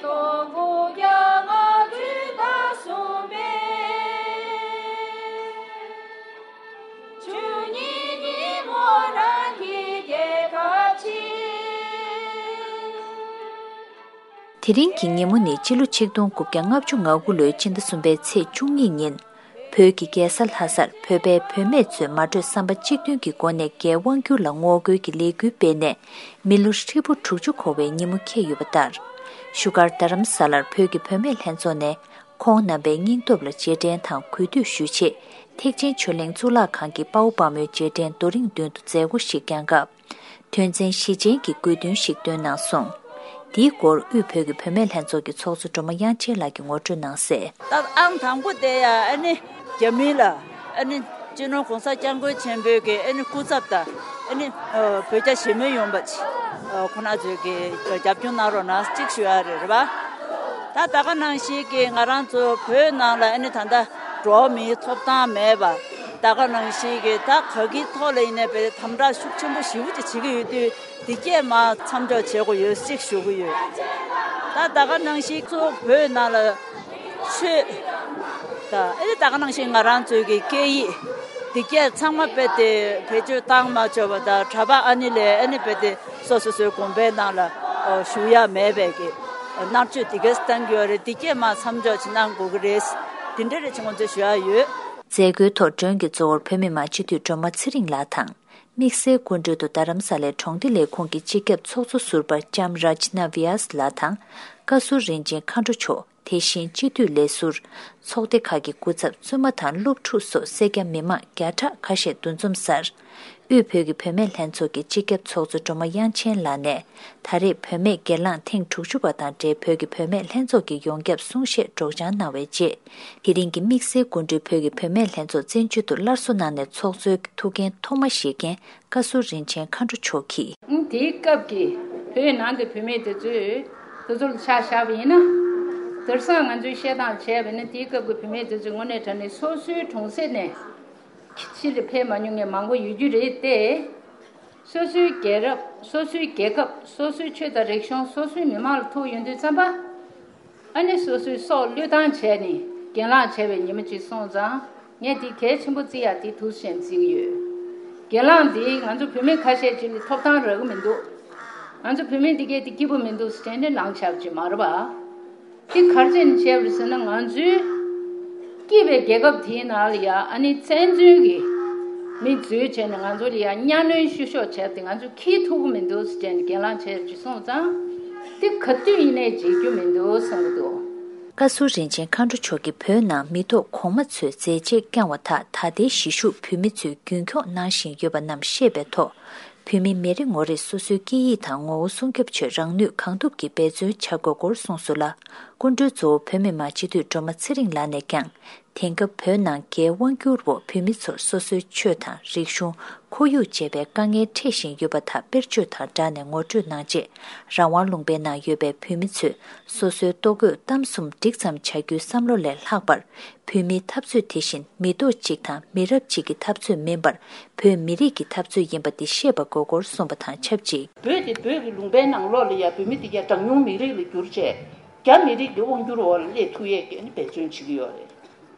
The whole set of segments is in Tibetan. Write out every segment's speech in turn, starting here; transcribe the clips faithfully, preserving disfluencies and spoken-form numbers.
སྟོང་དགུ་བརྒྱ་ལྔ་བཅུ་ང་གསུམ་པའི་ཆུ་ཉིན་ཉིན་མོ་རང་གི་རྒྱལ་ཁབ་ཆེ། དེ་རིང་གི་ཉིན་མོ་ནི་སྤྱི་ལོ་ཆིག་སྟོང་དགུ་བརྒྱ་ལྔ་བཅུ་ང་དགུ་ལོའི་ཕྱི་ཟླ་གསུམ་པའི་ཚེས་བཅུ་གཉིས་ཉིན། བོད་ཀྱི་རྒྱལ་ས་ལྷ་སར་བོད་པའི་བུད་མེད་ཚོས་མ་གྲོས་བསམ་པ་གཅིག་མཐུན་གྱི་སྒོ་ནས་རྒྱའི་དབང་བསྒྱུར་ལ་ངོ་རྒོལ་གྱི་ལས་འགུལ་སྤེལ་ནས་མི་ལོ་ཧྲིལ་པོ་དྲུག་ཅུ་འཁོར་བའི་ཉིན་མོ་འཁེལ་ཡོད་པ་ལྟར། བཞུགས་སྒར་རྡ་རམ་ས་ལར་བོད་ཀྱི་བུད་མེད་ལྷན་ཚོགས་ནས་ཁོང་རྣམ་པའི་སྙིང་སྟོབས་ལ་རྗེས་དྲན་དང་གུས་འདུད་ཞུ་ཆེད་ཐེག་ཆེན་ཆོས་གླིང་གཙུག་ལག་ཁང་གི་དཔའ་བོ་དཔའ་མོའི་རྗེས་དྲན་རྡོ་རིང་མདུན་དུ་མཛད་སྒོ་ཞིག་བསྐྱངས་སྐབས། དོན་ཚན་བཞི་ཅན་གྱི་དགོས་འདུན་ཞིག་བཏོན་གནང་སོང་། འདིའི་སྐོར་དབུས་བོད་ཀྱི་བུད་མེད་ལྷན་ཚོགས་ཀྱི་ཚོགས་གཙོ་སྒྲོལ་མ་དབྱངས་ཅན་ལགས་ཀྱིས་ངོ་སྤྲོད་གནང་གསལ། ད་ཨང་དང་པོ་དེ་ཡ་ཨ་ནི་རྒྱ་མི་ལ་ཨ་ནི་སྤྱི་ནོར་༸གོང་ས་༸སྐྱབས་མགོན་ཆེན་པོའི་གི་ཨ་ནི་སྐུ་ཚབ་དང་ཨ་ནི་བོད་རྒྱ་ཞི་མོལ་ཡོང་བ་ཅིག་ཁོ་ན་ཚོས་གི་རྒྱབ་སྐྱོར་གནང་རོགས་གནང་གཅིག་ཞུ་ཡ་རེད་རེད་པ། ད་ད་ག་ནང་བཞིན་གི་ང་རང་ཚོ་བོད་ནང་ལ་ཨ་ནི་ད་ལྟ་འགྲོ་བ་མིའི་ཐོབ་ཐང་མེད་པ། ད་ག་ནང་བཞིན་གྱི་ད་ག་གི་ཐོག་ལ་ཡིན་ནའི་བས་དམ་དྲག་ཤུགས་ཆེན་པོ་ཞེ་པོ་ཅིག་བྱེད་ཀྱི་ཡོད་དུས་འདི་སྐད་མ་མཚམས་འཇོག་བྱེད་དགོས་ཡོད་ཅིག་ཞུ་གི་ཡོད། ད་ད་ག་ནང་བཞིན་གཙོ་བོ་བོད་ནང་ལ་ཆོས་ད་ཨེ་ད་ག་ནང་བཞིན་ང་རང་ཚོའི་གི་སྐད་ཡིག་འདི་སྐད་ཚང་མ་བས་ཏེ་བེད་སྤྱོད་བཏང་མ་ཆོག་པ་དང་གྲྭ་པ་ཨ་ནི་ལས་ཨ་ནི་བས་ཏེ་སོ་སོ་སོའི་དགོན་པའི་ནང་ལ་ཞུགས་ཡ་མེད་པའི་གི་མནར་གཅོད་འདི་གས་བཏང་གི་ཡོད་རེད། འདི་སྐད་མ་མཚམས་འཇོག་ཅིག་གནང་དགོས་ཀྱི་རེད། འདི་འདྲ་རེད་ཅེས་ང་ཚོས་ཞུ་ཡ་ཡོད། མཛད་སྒོའི་ཐོག་མགྲོན་གྱི་གཙོ་བོར་བོད་མི་མང་སྤྱི་འཐུས་སྒྲོལ་མ་ཚེ་རིང་ལགས་དང་། དམིགས་བསལ་སྐུ་མགྲོན་དུ་རྡ་རམ་ས་ལའི་གྲོང་སྡེ་ལས་ཁུངས་ཀྱི་སྤྱི་ཁྱབ་ཚོགས་གཙོ་ཟུར་པ་ལྕམ་ར་ཇི་ན་བྷི་ཡཱས་ལགས་དང་། བཀའ་ཟུར་རིན་ཆེན་མཁའ་འགྲོ་མཆོག་དེ་བཞིན་སྤྱི་འཐུས་ལས་ཟུར། ཚོགས་སྡེ་ཁག་གི་སྐུ་ཚབ་བཙུན་མ་དང་སློབ་ཕྲུག་སོགས་སེར་སྐྱ་མི་མང་བརྒྱ་ཕྲག་ཁ་ཤས་འདུ་འཛོམས་སར། དབུས་བོད་ཀྱི་བུད་མེད་ལྷན་ཚོགས་ཀྱི་སྤྱི་ཁྱབ་ཚོགས་གཙོ་སྒྲོལ་མ་དབྱངས་ཅན་ལགས་ནས། ད་རེས་བུད་མེད་སྒེར་ལངས་ཐེངས་དྲུག་ཅུ་པ་དང་འབྲེལ་བོད་ཀྱི་བུད་མེད་ལྷན་ཚོགས་ཀྱི་ཡོངས་ཁྱབ་གསུང་བཤད་སྒྲོག་སྦྱང་གནང་བའི་རྗེས། དེ་རིང་གི་དམིགས་བསལ་སྐུ་མགྲོན་བོད་ཀྱི་བུད་མེད་ལྷན་ཚོགས་བཙན་བྱོལ་དུ་སླར་གསོ་གནང་ནས་ཚོགས་གཙོའི་ཐུགས་འགན་ཐོག་མ་བཞེས་མཁན་བཀའ་ཟུར་རིན་ཆེན་མཁའ་འགྲོ་མཆོག་གིས། དེའི་སྐབས་ཀྱི་བོད་ནང་གི་བུད་མེད་དེ་ཚོས་དེ་ཚོ་ལ་ཆ་བཞག་པ་ཡིན་ན། དེང་སང་ང་ཚོའི་བཤད་སྟངས་བྱས་པ་ཡིན་ན་དེའི་སྐབས་ཀྱི་བུད་མེད་དེ་ཚོས་དངོས་གནས་དྲང་གནས་སོ་སོའི་གྲོང་གསེབ་ནས་ཕྱིར་ཕེབས་མ་མྱོང་མཁན་མང་པོ་ཡོད་རྒྱུ་རེད་དེ། སོ་སོའི་རྒྱལ་རབས། སོ་སོའི་རྒྱལ་ཁབ། སོ་སོའི་ཆོས་དང་རིག་གཞུང་། སོ་སོའི་མི་མང་ལ་ཐུག་ཡོང་དུས་ཙམ་པ། ཨ་ནི་སོ་སོའི་སྲོག་བློས་བཏང་བྱས་ནས་གྱེན་ལངས་བྱས་པའི་ཉིན་མོ་ཅིག་སོང་ཙང་། ངས་འདི་གལ་ཆེན་པོ་བརྩི་ཡག་འདི་ཐུགས་བཞེས་བརྩི་གི་ཡོད། གྱེན་ལངས་འདི་ང་ཚོ་བུད་མེད་ཁ་ཤས་ཅིག་ལ་ཐོབ་ཐང་རག་གི་མི་འདུག་ང་ཚོ་བུད་མེད་འདི་གས་འདི་སྐྱིད་པོ་མི་འདུག་ཟེར་ནས་ལངས་ཆགས་ཀྱི་མ་རེད་པ། འདི་ག་རེ་བྱས་ནས་བྱས་པ་རེད་ཟེར་ན། ང་ཚོའི་སྐྱིད་པའི་རྒྱལ་ཁབ་དེའི་ནང་ལ་ཡ་ཨ་ནི་བཙན་འཛུལ་གྱི་མི་འཛུལ་བྱས་ནས་ང་ཚོ་ལ་ཡ་གཉའ་གནོན་བཤུ་གཞོག་བྱས་ཏེ་ང་ཚོ་འཁྱེར་ཐུབ་ཀྱི་མི་འདུག་ཟེར་ནས་གྱེན་ལངས་བྱས་ཅིག་སོང་ཙང་། འདི་ག་དུས་ཡིན་ནའི་བརྗེད་རྒྱུ་མི་འདུག་བསམ་གྱི་འདུག་བཀའ་ཟུར་རིན་ཆེན་མཁའ་འགྲོ་མཆོག་གིས་བོད་ནང་མི་ཐོག་གོང་མ་ཚོས་མཛད་རྗེས་བསྐྱངས་བ་དག་ད་ལྟའི་གཞིས་བཞུགས་བོད་མི་ཚོས་རྒྱུན་འཁྱོངས་གནང་བཞིན་ཡོད་པ་རྣམས་བཤད་པའི་ཐོག་བོད་མི་མི་རེ་ངོ་རེས་སོ་སོའི་སྐད་ཡིག་དང་ངོ་བོ་སྲུང་སྐྱོབ་ཆེད་རང་ནུས་གང་ཐུབ་ཀྱིས་འབད་བརྩོན་བྱ་དགོས་སྐོར་གསུངས་སོང་ལ། སྐུ་མགྲོན་གཙོ་བོ་བོད་མི་མང་སྤྱི་འཐུས་སྒྲོལ་མ་ཚེ་རིང་ལགས་ནས་ཀྱང་། དེང་སྐབས་བོད་ནང་རྒྱའི་དབང་བསྒྱུར་འོག་བོད་མི་ཚོར་སོ་སོའི་ཆོས་དང་རིག་གཞུང་། ཁོར་ཡུག་བཅས་པའི་དཀའ་ངལ་འཕྲད་བཞིན་ཡོད་པ་དག་དཔེར་བརྗོད་དང་སྦྲགས་ནས་ངོ་སྤྲོད་གནང་རྗེས། རང་དབང་ལུང་པའི་ནང་ཡོད་པའི་བོད་མི་ཚོས་སོ་སོའི་ལྟོ་གོས་གཏམ་གསུམ་འགྲིག་ཙམ་བྱ་རྒྱུའི་བསམ་བློ་ལས་ལྷག་པར། བོད་མིའི་འཐབ་རྩོད་དེ་བཞིན་མི་ཐོག་གཅིག་དང་མི་རབས་གཅིག་གི་འཐབ་རྩོད་མིན་པར། བོད་མི་རིགས་ཀྱི་འཐབ་རྩོད་ཡིན་པ་འདི་ཤེས་པ་དགོས་སྐོར་གསུངས་པ་དང་ཆབས་ཅིག་བོད་དེ་བོད་ཀྱི་ལུང་པའི་ནང་ལོགས་ལ་ཡ་བོད་མི་དེ་ག་གྲངས་ཉུང་མི་རིགས་ལ་གྱུར་བྱས། རྒྱ་མི་རིགས་ཀྱི་དབང་བསྒྱུར་འོག་ལ་སླེབས་ཐུབ་ཡས་ཀྱི་འབད་བརྩོན་བྱེད་ཀྱི་ཡོད་རེད།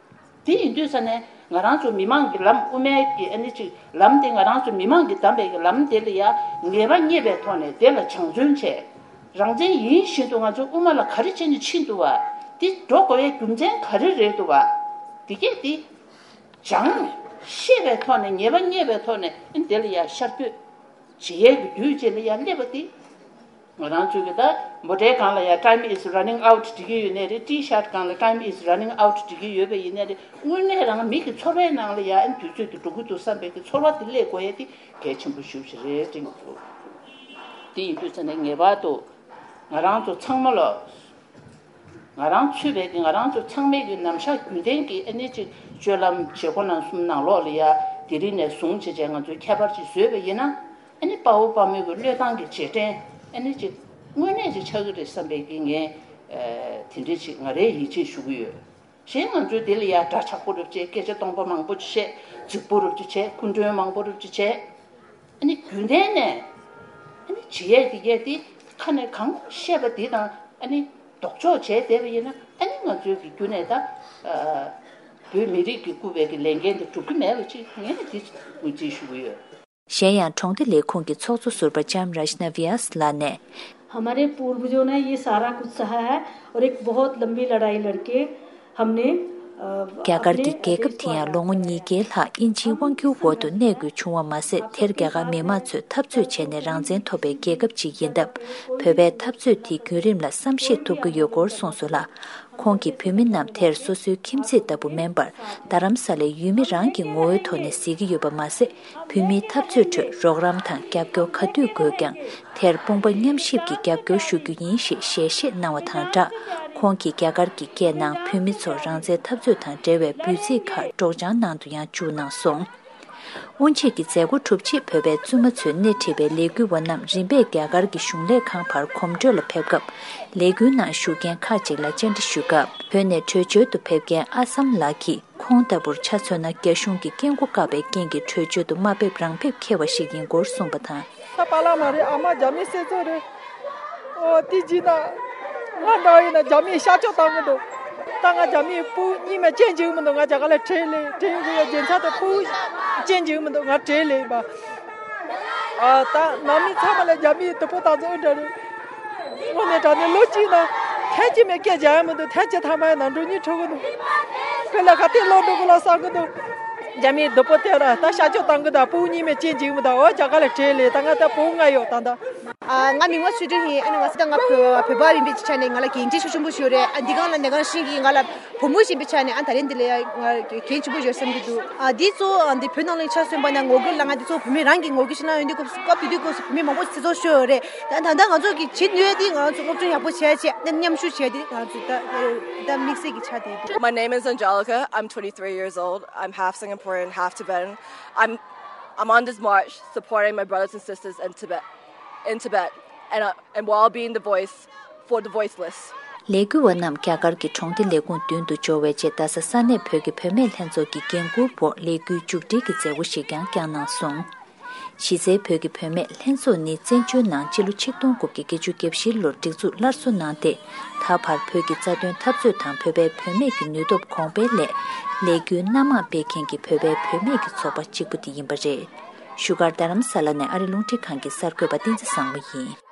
དེ་ཡིན་དུས་ས་ནས་ང་རང་ཚོ་མི་མང་གི་ལམ། དབུ་མའི་གི་ཨ་ནི་ཅིག་ལམ་དེ། ང་རང་ཚོ་མི་མང་གིས་བདམས་པའི་གི་ལམ་དེ་ལ་ཡ་ངེས་པ་རྙེད་པའི་ཐོག་ནས་དེ་ལ་སྦྱང་བརྩོན་བྱས། རང་བཙན་ཡིན་བཞིན་དུ་ང་ཚོ་དབུ་མ་ལ་ག་རེ་བྱས་ནས་ཕྱིན་འདུག་བ། དེ་འགྲོ་དགོས་ཡའི་རྒྱུ་མཚན་ག་རེ་རེད་འདུག་བ། དེ་གས་དེ་སྦྱང་ཤེས་པའི་ཐོག་ནས། ངེས་པ་རྙེད་པའི་ཐོག་ནས་ཨ་ནི་དེ་ལ་ཡ་ཤར་བསྐྱོད་བྱེད་ཡས་ཀྱི་དུས་བཅད་ལ་ཡ་སླེབས་པ་དེ། ང་རང་ཚོའི་གི་ད་མོ་ཊའི་སྒང་ལ་ཡ་time is running out འབྲི་གི་ཡོད་ནའི་རེད། T-shirt སྒང་ལ་time is running out འབྲི་གི་ཡོད་པ་ཡིན་ནའི་རེད། དངོས་གནས་རང་མི་གི་ཚོར་བའི་ནང་ལ་ཡ་ཨ་ནི་དུས་ཚོད་དེ་འགྲོ་གི་འདུག་བསམ་པའི་གི་ཚོར་བ་དེ་སླེབས་དགོས་ཡ་དེ་གལ་ཆེན་པོ་ཞེ་པོ་ཅིག་རེད་དྲན་གྱི་འདུག་དེ་ཡིན་དུས་ཙང་ནས་ངེས་པར་དུ་ང་རང་ཚོ་ཚང་མ་ལ། ང་རང་ཚུད་པའི་གི་ང་རང་ཚོ་ཚང་མའི་གི་ནམ་ཞག་རྒྱུན་ལྡན་གྱི་ཨ་ནི་ཅིག་སྤྱོད་ལམ་བྱེད་སྒོ་ནང་གསུམ་ནང་ལོགས་ལ་ཡ་དེ་རིང་ནས་བཟུང་བྱས་བྱས་ང་ཚོས་ཁྱད་པར་ཅིག་བཟོས་པ་ཡིན་ན། ཨ་ནི་དཔའ་བོ་དཔའ་མོའི་གི་བློས་བཏང་གི་རྗེས་དྲན་ཨ་ནི་ཅིག་དངོས་གནས་ཅིག་ཆགས་ཀྱི་རེད་བསམ་པའི་གི་ངས་ཨ་དེ་འདྲ་ཅིག་ང་རའི་ཡིད་ཆེས་ཞུ་གི་ཡོད། གཞན་ང་ཚོས་དེ་ལ་ཡ་སྒྲ་ཆག་པོ་རུབ་བྱས། སྐད་ཆ་སྟོང་པ་མང་པོ་ཅིག་བཤད། རྫིག་པོ་རུབ་ཅིག་བྱས། སྐུ་མགྲོན་མང་པོ་རུབ་ཅིག་བྱས། ཨ་ནི་རྒྱུན་ལྡན་ནས་ཨ་ནི་བྱེད་ཡས་དེ་གས་དེ་ཁ་ནས་གང་བཤད་པ་དེ་དང་ཨ་ནི་ ལྡོག་ཕྱོགས་བྱས་བསྡད་པ་ཡིན་ན་ཨ་ནི་ང་ཚོའི་གི་རྒྱུ་ནས་ད་ཨ་བོད་མི་རིགས་ཀྱི་བསྐུར་བའི་གི་ལས་འགན་དེ་འགྲུབ་ཀྱི་མེད་པ་ཅིག་ངས་ནི་དེ་ངོས་འཛིན་ཞུ་གི་ཡོད། གཞན་ཡང་གྲོང་སྡེ་ལས་ཁུངས་ཀྱི་ཚོགས་གཙོ་ཟུར་པ་ལྕམ་རཱཤ་ན་བྷི་ཡཱས་ལགས་ནས། हमारे पूर्वजों ने ये सारा कुछ सहा है और एक बहुत लंबी लड़ाई लड़के हमने अ, རྒྱ་གར་अपने གྱི་རྒྱལ་ཁབ་དེ་ཡང་ལོ་ངོ་ཉིས་བརྒྱའི་ལྷག་དབྱིན་ཇིའི་དབང་སྒྱུར་འོག་ཏུ་གནས་དགོས་བྱུང་བ་མ་ཟད། དེར་རྒྱ་གར་མི་མང་ཚོས་འཐབ་རྩོད་བྱས་ནས་རང་བཙན་ཐོབ་པའི་རྒྱལ་ཁབ་ཅིག་ཡིན་སྟབས། བོད་པའི་འཐབ་རྩོད་དེའི་བརྒྱུད་རིམ་ལ་བསམ་ཤེས་ཐུབ་ཀྱི་ཡོད་སྐོར་གསུངས་སོང་ལ། ཁོང་གིས་བོད་མི་རྣམས་དེར་སོ་སོའི་ཁྱིམ་མཚེས་ལྟ་བུ་མིན་པར། རྡ་རམ་ས་ལའི་ཡུལ་མི་རང་གི་ངོ་བོའི་ཐོག་ནས་གཟིགས་ཀྱི་ཡོད་པ་མ་ཟད། བོད་མིའི་འཐབ་རྩོད་ཁྲོད་རོགས་རམ་དང་རྒྱབ་སྐྱོར་ག་དུས་དགོས་ཀྱང་། དེར་དཔུང་པ་མཉམ་གཤིབ་ཀྱིས་རྒྱབ་སྐྱོར་ཞུ་རྒྱུ་ཡིན་ཞེས་ཞལ་བཞེས་གནང་བ་དང་སྦྲགས། ཁོང་གིས་རྒྱ་གར་གྱི་སྐད་ནང་བོད་མི་ཚོར་རང་བཙན་འཐབ་རྩོད་དང་འབྲེལ་བའི་འབོད་ཚིག་ཁག་སྒྲོག་སྦྱང་ནང་དུ་ཡང་བཅུག་གནང་སོང་། དབུ་འབྱེད་ཀྱི་མཛད་སྒོ་གྲུབ་རྗེས་བོད་པའི་བཙུན་མ་ཚོས་སྣེ་ཁྲིད་པའི་ལས་འགུལ་བ་རྣམས་རིམ་པས་རྒྱ་གར་གྱི་གཞུང་ལས་ཁང་བར་གོམ་བགྲོད་ལ་ཕེབས་སྐབས། ལས་འགུལ་ནང་ཞུགས་མཁན་ཁག་ཅིག་ལ་བཅར་འདྲི་ཞུས་སྐབས། བོད་ནས་བྲོས་བྱོལ་དུ་ཕེབས་མཁན་ཨ་སམ་ལགས་ཀྱིས། ཁོང་ལྟ་བུར་ཆ་མཚོན་ན། རྒྱ་གཞུང་གིས་སྐད་མགོ་བཀག་པའི་རྐྱེན་གྱིས་བྲོས་བྱོལ་དུ་མ་ཕེབས་རང་ཕེབས་འཁེལ་བ་ཞིག་ཡིན་སྐོར་གསུངས་པ་དང་། ད་པཱ་ལགས་མ་རེད། ཨ་མ་རྒྱ་མིའི་སྲིད་ཚོགས་རེད། ཨོ་དེ་བྱས་ན་ང་འདྲ་བ་ཡིན་ན་རྒྱ་མིས་གཤག་བཅོས་བཏང་གི་འདུག་ད་ང་རྒྱ་མིའི་བུ་གཉིས་མེད་ཅན་བྱེད་ཀྱི་མི་འདུག་ང་རྒྱ་གར་ལ་བྲོས་ལེ་བྲོས་ཡོང་གི་ཡོད། རྒྱུ་མཚན་དེ་བུ་གཅན་གཅིག་མི་འདུག་ང་བྲོས་ལེ་བ། ཨ་ད་ནང་མི་ཚང་མ་ལ་རྒྱ་མིའི་དུ་པོ་བཏང་ཚོ་ཨེ་འདྲ་རེད། དངོས་གནས་དྲང་གནས་ལོ་གཅིག་ནང་ཐེངས་གཅིག་མེད་སྐད་རྒྱག་ཡ་མི་འདུག་ཐེངས་གཅིག་ཐ་མ་ཡ་ནང་འགྲོ་སྙིང་བྲོ་གི་འདུག་དཔེ་ལ་ག་དེ་ལོ་འགྲོ་གི་ལ་བསམ་གི་འདུག་རྒྱ་མིའི་དུ་པོ་དེ་ར་ད་གཤག་བཅོས་བཏང་གི་འདུག་བུ་གཉིས་མེད་གཅན་གཅིག་མི་འདུག་འོ་རྒྱ་གར་ལ་བྲོས་ལེ་ད་ང་ད་བུ་ལྔ་ཡོད་ད་ད། ཨ་ང་མིང་ལ་ཆོས་སྒྲོན་ཡིན། ཨ་ནི་ང་སི་ད་ང་བོད་བོད་པ་ཡིན་པའི་ཆ་ནས་ང་ལ་གྱེན་འཁྲིད་ཤུགས་ཆེན་པོ་ཞིག་ཡོད་རེད། ཨ་འདི་གང་ལ་ནས་གང་ཤིང་གིས་ང་ལ་བུ་མོ་ཞིག་ཡིན་པའི་ཆ་ནས་ཨ་ད་རེས་འདི་ལ་ཡ་ང་གྱེན་ཆེན་པོ་ཡོད་བསམ་གྱི་འདུག་ཨ་འདི་ཚོ་ཨ་འདི་བོད་ནང་ལ་ཆ་མཚོན་པ་ན་ངོ་རྒོལ་ལ་ང་འདི་ཚོ་བོད་མི་རང་གི་ངོ་རྒོལ་ཞིག་གནང་ཡོང་དུས་སྐབས་སྐབས་དེ་དུས་སྐབས་སུ་བོད་མི་མང་པོ་ཞིག་ཚེ་སྲོག་ཤོར་ཡོད་རེད། ད་ད་ལྟ་ང་ཚོ་གི་བྱེད་ནུས་ཡ་འདི་ང་ཚོ་སློབ་སྦྱོང་ཡག་པོ་བྱས་བྱས་ཨ་མཉམ་ཞུགས་བྱས་ཏེ་ང་ཚོ་ད་ད་དམིགས་བསལ་གྱི་ཆ་དེ་འདུག My name is Angelica. I'm twenty-three years old. I'm half Singaporean, half Tibetan. I'm I'm on this march supporting my brothers and sisters in Tibet, in Tibet, and uh, and while being the voice for the voiceless. ལས་འགུལ་བ་རྣམས་རྒྱ་གར་གྱི་གྲོང་སྡེ་ལས་ཁུངས་མདུན་དུ་འབྱོར་བའི་རྗེས། རྡ་ས་ས་གནས་བོད་ཀྱི་བུད་མེད་ལྷན་ཚོགས་ཀྱི་འགན་འཁུར་འོག་ལས་འགུལ་མཇུག་སྒྲིལ་གྱི་མཛད་སྒོ་ཞིག་ཀྱང་བསྐྱངས་གནང་སོང་། གཞི་རྩའི་བོད་ཀྱི་བུད་མེད་ལྷན་ཚོགས་ནི་བཙན་བྱོལ་ནང་སྤྱི་ལོ་ཆིག་སྟོང་དགུ་བརྒྱ་བརྒྱད་ཅུ་གྱ་བཞིའི་ལོར་སྒྲིག་འཛུགས་སླར་གསོ་གནང་སྟེ། ད་བར་བོད་ཀྱི་རྩ་དོན་འཐབ་རྩོད་དང་བོད་པའི་བུད་མེད་ཀྱི་ནུས་སྟོབས་གོང་སྤེལ་སླད། ལས་འགུལ་སྣ་མང་སྤེལ་མཁན་གྱི་བོད་པའི་བུད་མེད་ཀྱི་ཚོགས་པ་གཅིག་པུ་དེ་ཡིན་པ་རེད། བཞུགས་སྒར་རྡ་རམ་ས་ལ་ནས་ཨ་རི་རླུང་འཕྲིན་ཁང་གི་གསར་འགོད་པ་བསྟན་འཛིན་བཟང་མོ་ཡིན།